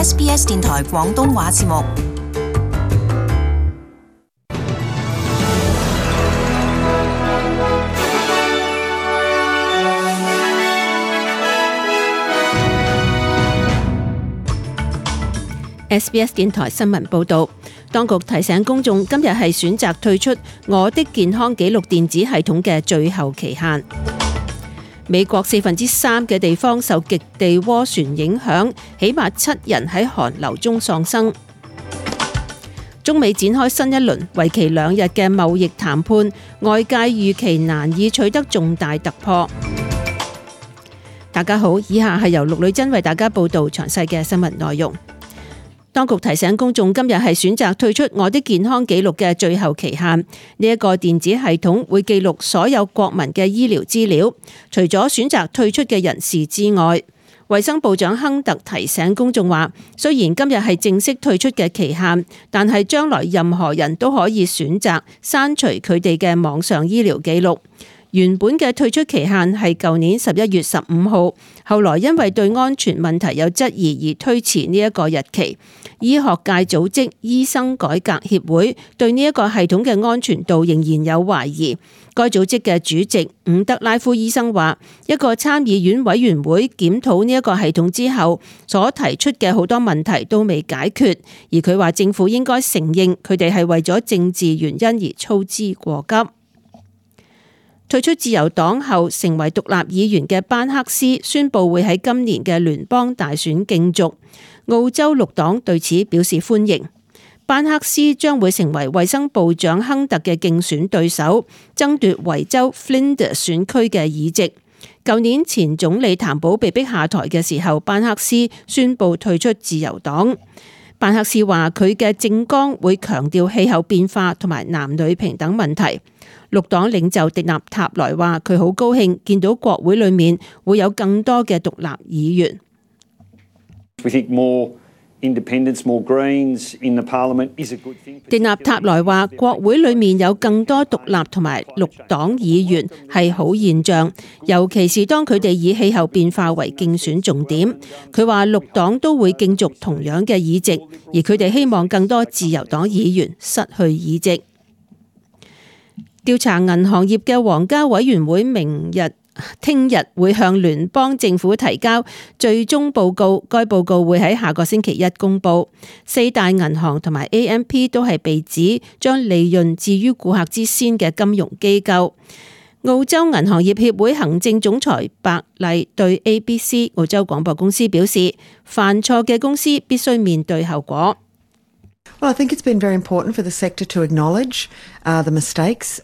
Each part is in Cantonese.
SBS 電台廣東話節目。SBS 電台新聞報導，當局提醒公眾，今日係選擇退出我的健康記錄電子系統嘅最後期限。美國3%嘅地方受極地渦旋影響，起碼7人喺寒流中喪生。中美展開新一輪為期2日嘅貿易談判，外界預期難以取得重大突破。大家好，以下係由陸女珍為大家報導詳細嘅新聞內容。當局提醒公眾，今日係選擇退出我的健康記錄嘅最後期限。呢一個電子系統會記錄所有國民嘅醫療資料，除咗選擇退出嘅人士之外。衛生部長亨特提醒公眾話，雖然今日係正式退出嘅期限，但係將來任何人都可以選擇刪除佢哋嘅網上醫療記錄。原本嘅退出期限係舊年11月15號，後來因為對安全問題有質疑而推遲呢一個日期。醫學界組織醫生改革協會對呢一個系統嘅安全度仍然有懷疑。該組織嘅主席伍德拉夫醫生話，一個參議院委員會檢討呢一個系統之後，所提出嘅好多問題都未解決，而佢話政府應該承認佢哋係為咗政治原因而操之過急。退出自由黨後成為獨立議員嘅班克斯宣布會喺今年嘅聯邦大選競逐，澳洲綠黨對此表示歡迎。班克斯將會成為衛生部長亨特嘅競選對手，爭奪維州 Flinders 選區嘅議席。舊年前總理譚寶被逼下台嘅時候，班克斯宣布退出自由黨。班克斯話佢嘅政綱會強調氣候變化同埋男女平等問題。綠黨領袖迪納塔萊話佢好高興見到國會裏面會有更多嘅獨立議員。迪納塔萊話國會裏面有更多獨立同埋綠黨議員係好現象，尤其是當佢哋以氣候變化為競選重點。佢話綠黨都會競逐同樣嘅議席，而佢哋希望更多自由黨議員失去議席。調查銀行業嘅皇家委員會聽日會向聯邦政府提交最終報告，該報告會喺下個星期一公布。4大銀行同埋 AMP 都係被指將利潤置於顧客之先嘅金融機構。澳洲銀行業協會行政總裁白麗對 ABC 澳洲廣播公司表示，犯錯嘅公司必須面對後果。Well, I think it's been very important for the sector to acknowledge the mistakes.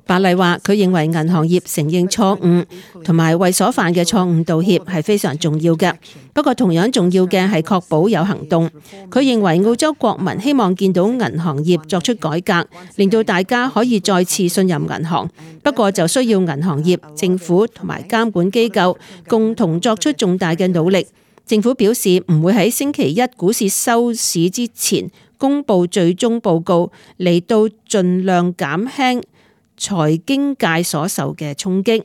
白麗話：佢認為銀行業承認錯誤同埋為所犯嘅錯誤道歉係非常重要嘅。不過同樣重要嘅係確保有行動。佢認為澳洲國民希望見到銀行業作出改革，令到大家可以再次信任銀行。不過就需要銀行業、政府同埋監管機構共同作出重大嘅努力。政府表示唔會喺星期一股市收市之前公布最終報告，嚟到盡量減輕財經界所受嘅衝擊。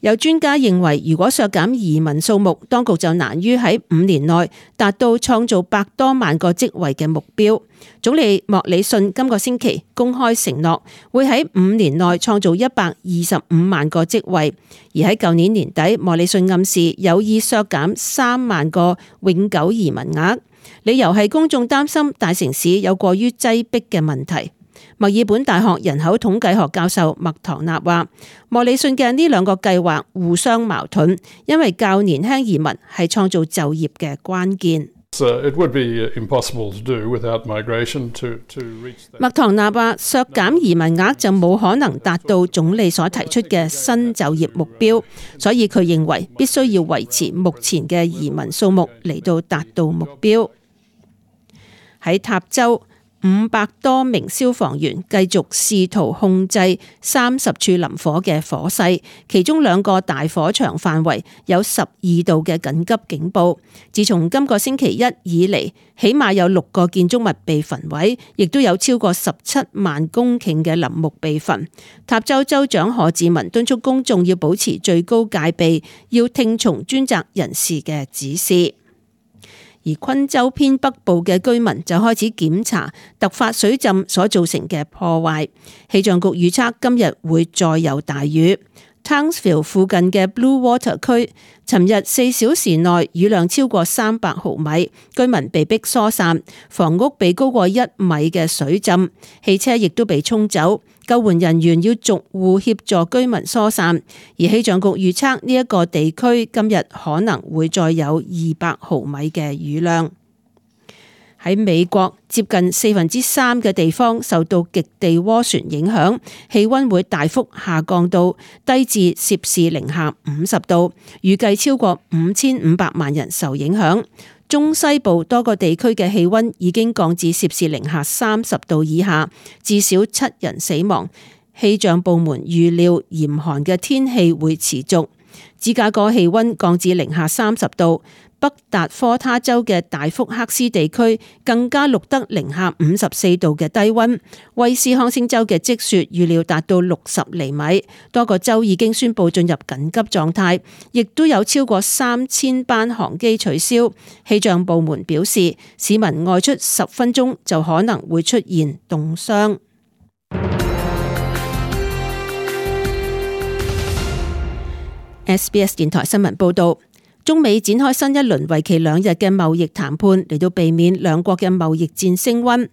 有專家認為，如果削減移民數目，當局就難於喺5年內達到創造100多萬個職位嘅目標。總理莫里遜今個星期公開承諾，會喺5年內創造125萬個職位，而喺舊年年底，莫里遜暗示有意削減3萬個永久移民額，理由係公眾擔心大城市有過於擠迫嘅問題。墨爾本大學人口統計學教授麥唐納話，莫里遜嘅呢2個計劃互相矛盾，因為較年輕移民係創造就業嘅關鍵。麥唐納話，削減移民額就冇可能達到總理所提出嘅新就業目標，所以佢認為必須要維持目前嘅移民數目嚟到達到目標。喺塔州，500多名消防員繼續試圖控制30處林火嘅火勢，其中2個大火場範圍有12度嘅緊急警報。自從今個星期一以嚟，起碼有6個建築物被焚毀，亦都有超過17萬公頃嘅林木被焚。塔州州長何志文敦促公眾要保持最高戒備，要聽從專責人士嘅指示。而昆州偏北部嘅居民就開始檢查突發水浸所造成嘅破壞。氣象局預測今日會再有大雨。Townsville 附近嘅 Blue Water 區，尋日4小時內雨量超過300毫米，居民被迫疏散，房屋被高過1米嘅水浸，汽車亦都被沖走，救援人員要逐戶協助居民疏散。而氣象局預測呢一個地區今日可能會再有200毫米嘅雨量。喺美國，接近3/4嘅地方受到極地渦旋影響，氣溫會大幅下降到低至攝氏零下50度，預計超過5500萬人受影響。中西部多個地區嘅氣溫已經降至攝氏零下30度以下，至少7人死亡。氣象部門預料嚴寒嘅天氣會持續。芝加哥氣溫降至零下30度。北達科他州嘅大福克斯地區更加錄得零下54度嘅低溫，威斯康星州嘅積雪預料達到60厘米，多個州已經宣布進入緊急狀態，亦都有超過3000班航機取消。氣象部門表示，市民外出10分鐘就可能會出現凍傷。SBS 電台新聞報道。中美展開新一輪為期2日嘅貿易談判，嚟到避免兩國嘅貿易戰升溫。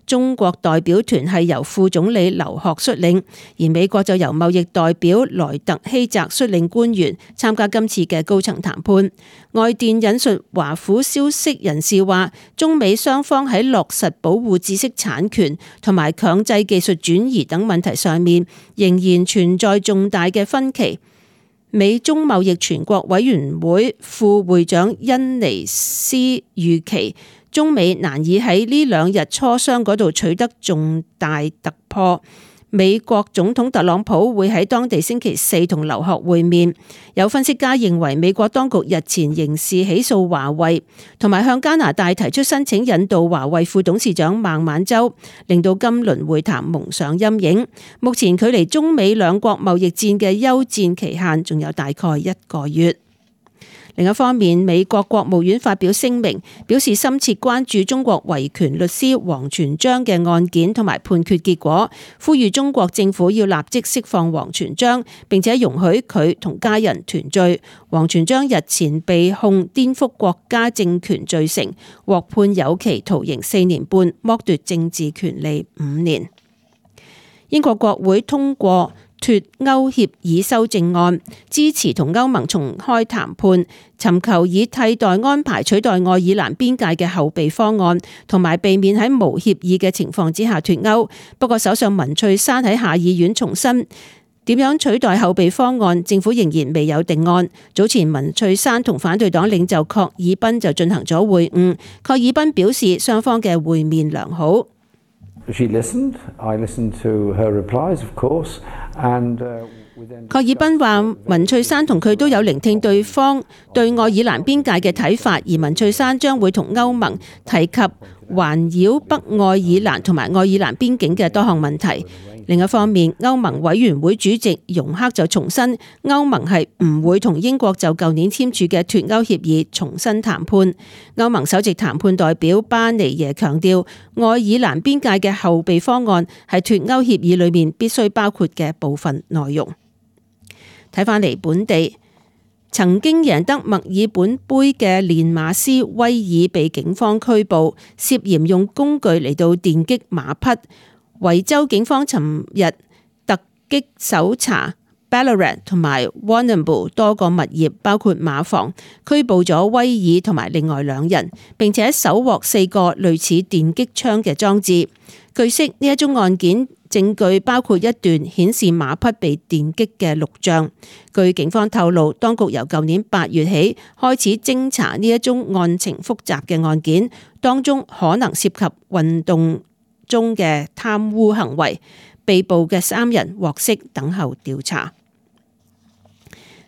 中國代表團係由副總理劉鶴率領，而美國就由貿易代表萊特希澤率領官員參加今次嘅高層談判。外電引述華府消息人士話，中美雙方喺落實保護知識產權同埋強制技術轉移等問題上面，仍然存在重大嘅分歧。美中貿易全國委員會副會長恩尼斯預期，中美難以喺呢2日磋商嗰度取得重大突破。美國總統特朗普會喺當地星期4同劉鶴會面。有分析家認為，美國當局日前刑事起訴華為，同埋向加拿大提出申請引渡華為副董事長孟晚舟，令到今輪會談蒙上陰影。目前距離中美兩國貿易戰嘅休戰期限仲有大概1個月。另一方面，美國國務院發表聲明，表示深切關注中國維權律師王全璋嘅案件同埋判決結果，呼籲中國政府要立即釋放王全璋，並且容許佢同家人團聚。王全璋日前被控顛覆國家政權罪成，獲判有期徒刑4年半，剝奪政治權利5年。英國國會通過脫歐協議修正案，支持同歐盟重開談判，尋求以替代安排取代愛爾蘭邊界嘅後備方案，同埋避免喺無協議嘅情況之下脫歐。不過首相文翠珊喺下議院重申，點樣取代後備方案，政府仍然未有定案。早前文翠珊同反對黨領袖郝爾彬就進行咗會晤，郝爾彬表示雙方嘅會面良好。She listened. I listened to her replies, of course. 郝爾彬話，文翠珊同佢都有聆聽對方對愛爾蘭邊界嘅睇法，而文翠珊將會同歐盟提及環繞北愛爾蘭同埋愛爾蘭邊境嘅多項問題。另一方面，歐盟委員會主席容克就重申，歐盟係唔會同英國就舊年簽署嘅脫歐協議重新談判。歐盟首席談判代表巴尼耶強調，愛爾蘭邊界嘅後備方案係脫歐協議裏面必須包括嘅部分內容。睇返嚟本地，曾經贏得墨爾本杯嘅練馬師威爾被警方拘捕，涉嫌用工具嚟到電擊馬匹。維州警方尋日突擊搜查 Ballarat 同埋 Warrnambool 多個物業，包括馬房，拘捕咗威爾同埋另外2人，並且搜獲4個類似電擊槍嘅裝置。據悉，呢一宗案件證據包括一段顯示馬匹被電擊嘅錄像。據警方透露，當局由舊年8月起開始偵查呢一宗案情複雜嘅案件，當中可能涉及運動中嘅貪污行為。被捕嘅3人獲釋等候調查。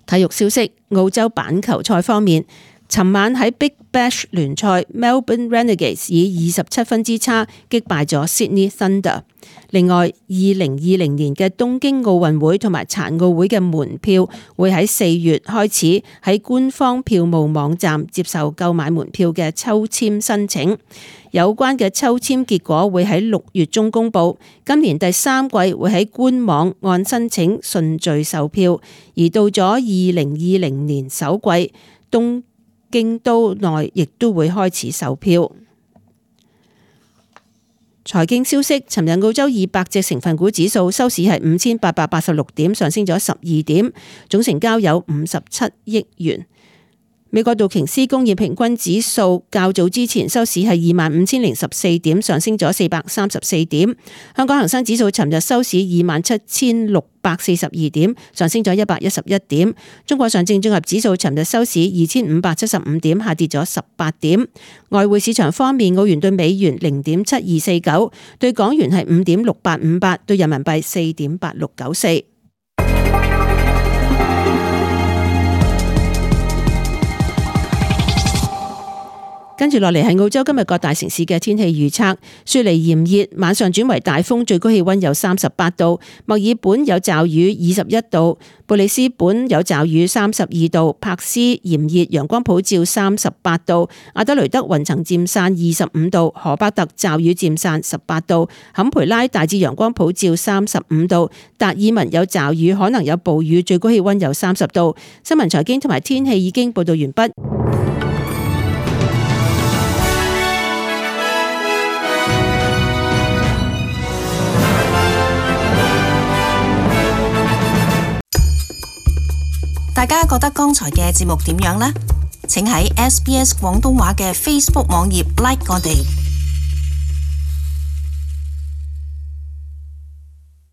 體育消息，澳洲板球賽方面，尋晚喺 Big Bash 聯賽 ，Melbourne Renegades 以27分之差擊敗咗 Sydney Thunder。另外，2020年嘅東京奧運會同埋殘奧會嘅門票會喺4月開始喺官方票務網站接受購買門票嘅抽籤申請。有關嘅抽籤結果會喺6月中公佈。今年第3季會喺官網按申請順序售票，而到咗2020年首季，東京都內亦都會開始售票。財經消息，尋日澳洲200隻成分股指數收市係5886點，上升咗12點，總成交有57億元。美國道瓊斯工業平均指數較早之前收市係25,014點，上升咗434點。香港恒生指數尋日收市27,642點，上升咗111點。中國上證綜合指數尋日收市2,575點，下跌咗18點。外匯市場方面，澳元對美元0.7249，對港元係5.6858，對人民幣4.8694。跟住落嚟係澳洲今日各大城市嘅天氣預測。雪梨炎熱，晚上轉為大風，最高氣溫有38度；墨爾本有驟雨21度；布里斯本有驟雨32度；柏斯炎熱，陽光普照38度；阿德雷德雲層漸散25度；荷巴特驟雨漸散18度；坎培拉大致陽光普照35度；達爾文有驟雨，可能有暴雨，最高氣溫有30度。新聞財經同埋天氣已經報道完畢。大家覺得剛才嘅節目點樣呢？請喺SBS 廣東話嘅 Facebook 網頁 like 我哋。